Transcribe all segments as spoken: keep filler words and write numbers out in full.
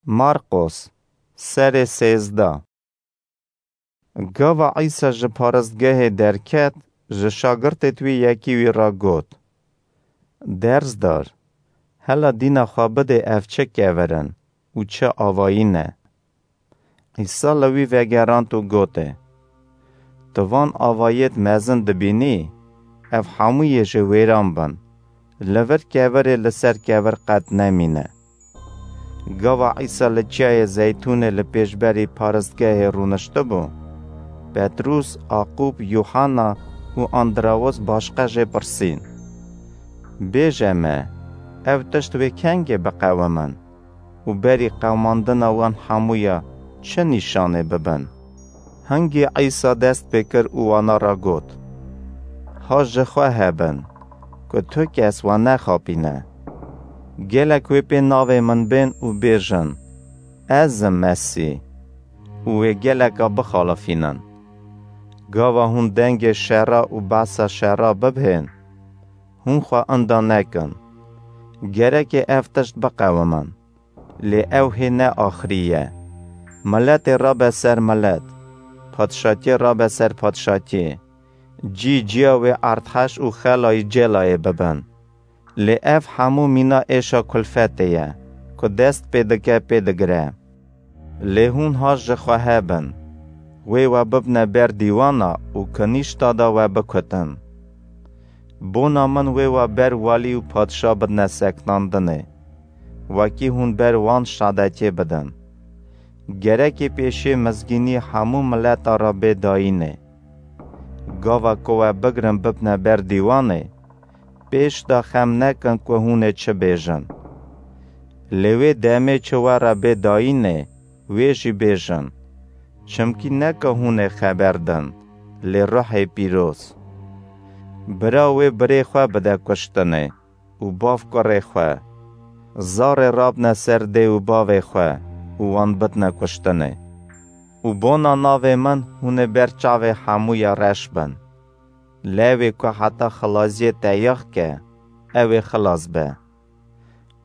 Marqos, serê sêzdeh. Gava Îsa ji paristgehê derket, ji şagirtêt wî yekî wî re got, "Dersdar, hela dîna xwe bidê ev çi kevir in û çi avayî ne?" Îsa li wî vegerand û gotê, "Tu van avayêt mezin dibînî? Ev hemûyê ji wêran bin. Li vir kevirê li ser kevir qet nemîne." Gava Îsa li çiyayê Zeytûnê li pêşberî paristgehê rûniştibû, Petrûs, Aqûb, Yuhanna û Andrawos başqe jê pirsîn, "Bêje me, ev tişt wê kengê biqewimin û berî qewimandina wan hemûya çi nîşanê bibin?" Hingî Îsa dest pê kir û wana re got, "Ha ji xwe hebin, ku tu kes we nexapîne. Gelek wê pê navê min bên û bêjin, 'Ez im Mesîh,' û wê geleka bixalifînin. Gava hûn dengê şera û behsa şera bibhên, hûn xwe inda nekin. Gereke ev tişt biqewimin, lê ew hê ne axirî ye. Miletê rabe ser milet, padşatiyê rabe ser padşatiyê. Cî ciya wê erdheş û xelayî cêlayê bibin. Lê ev hemû mîna êşa kulfetê ye, ku dest pê dike pê digire. Lê hûn ha ji xwe hebin, wê we bibne ber dîwana û kinîşta de we bikutin. Bona min wê we ber walî û padşa bidne seknandinê, wekî hûn ber wan şadetiyê bidin. Gerekê pêşê mizgînî hemû mileta re bê dayînê. Gava ku we bigrin bibne ber dîwanê, pêş de xem nekin ku hûn ê çi bêjin. Lê wê demê çi we re bê dayînê, wê jî bêjin. Çimkî ne ku hûn ê xeber din, lê Ruhê Pîroz. Bira wê birê xwe bide kuştinê û bav kurê xwe. Zarê rabne ser dê û bavê xwe û wan bidne kuştinê. Û bona navê min hûn ê ber çavê hemûya reş bin. Lewê ku heta xilaziyê teyax ke, ew ê xilas be.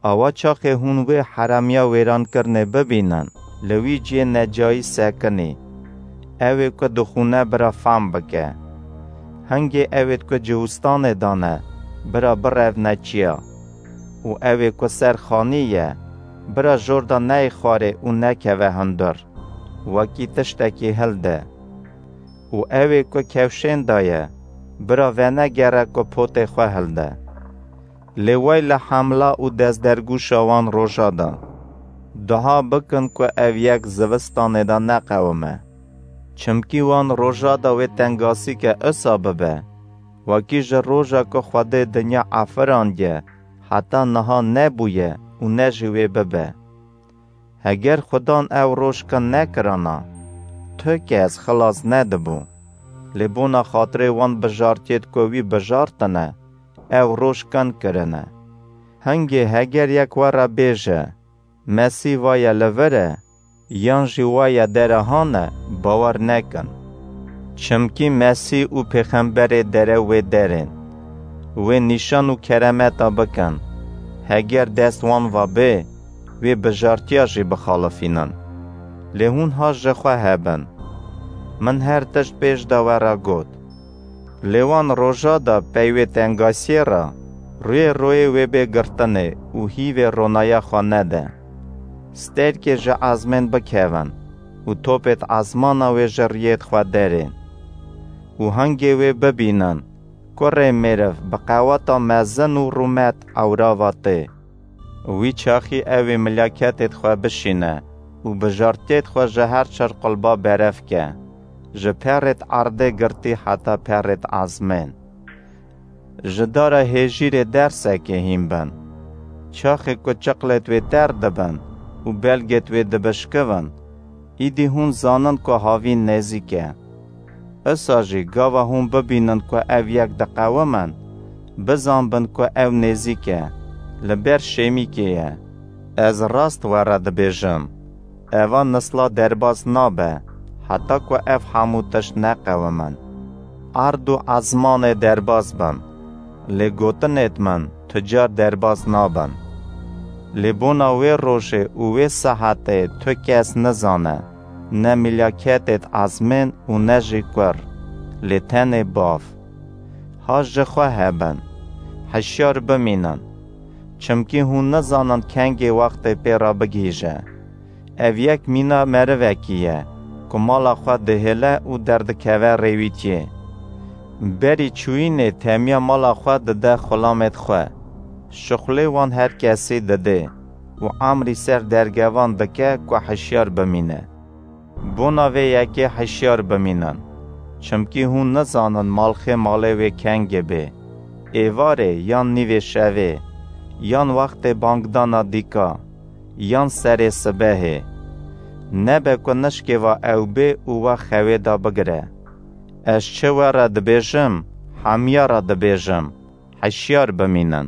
Awa çaxê hûn wê heremiya wêrankirinê bibînin, li wî ciyê necayî sekinî. Ew ê ku dixûne bira fam bike. Hingê ew ê ku ciwistanê dane, bira birevne çiya. Û ew ê ku ser xanî ye, bira jor de neyê xwarê û nekeve hundir, wekî tiştekî hilde. Û ew ê ku kewşên de ye, bira venegere ku potê xwe hilde. Lê wey li hemla û destdergûşa wan roja de. Duha bikin ku ev yek zivistanê de neqewime. Çimkî wan roja de wê tengasî ke isa bibe, wekî ji roja ku Xwedê dinya efirandiye heta niha nebûye û ne jî wê bibe. Heger Xudan ew roj kin nekirana, tu kes xilas nedibû. Lê bona xatirê wan bijartiyêt ku wî bijartine, ew roj kin kirine. Hingê heger yek we re bêje, Mesîh va ye li vir e, yan jî wa ye dere hane, bawer nekin. Çimkî Mesîh û pêxemberê dere wê derên. Wê nîşan û keremeta bikin. Heger dest wan va bê, wê bijartiya jî bixalifînin. Lê hûn ha ji xwe hebin. Min her tişt pêş de we re got. Lê wan roja de pey wê tengasiyê re, rûyê royê wê bê girtinê û hîvê ronaya xwe nede. Stêrkê ji ezmên bikevin û topêt ezmana wê ji riyêt xwe derên. Û hingê wê bibînin, kurê mêriv bi qeweta mezin û rûmet ewra ve tê. Wî çaxî ew ê milaketêt xwe bişîne û bijartiyêt xwe ji her çar qulba berev ke, ji perêt erdê girtî heta perêt ezmên. Ji dara hêjîrê dersekê hîn bin. Çaxê ku çiqlêt wê ter dibin û belgêt wê dibişkivin, îdî hûn zanin ku havîn nêzîk e. Isa jî gava hûn bibînin ku ev yek diqewimin, bizanbin ku ew nêzîk e, li ber şêmîkê ye. Ez rast we re dibêjim, eva nisla derbas nabe, heta ku ev hemû tişt neqewimin. Erd û ezmanê derbas bin, lê gotinêt min tu car derbas nabin. Lê bona wê rojê û wê saetê tu kes nizane, ne milaketêt ezmên û ne jî kur, lê tenê Bav. Ha ji xwe hebin, hişyar bimînin, çimkî hûn nizanin kengê wextê pê re bigihîje. Ev yek mîna merivekî ye, ku mala xwe dihêle û derdikeve rêwîtiyê. Berî çûyînê temiya mala xwe dide xulamêt xwe. Şixulê wan her kesî didê û emrî ser dergevan dike ku hişyar bimîne. Bona vê yekê hişyar bimînin, çimkî hûn nizanin malxê malê wê kengê bê, êvarê yan nîvê şevê, yan wextê bangdana dîka, yan serê sibehê. Nebe ku nişkêva ew bê û we xewê de bigire. Ez çi we re dibêjim, hemiya re dibêjim, hişyar bimînin.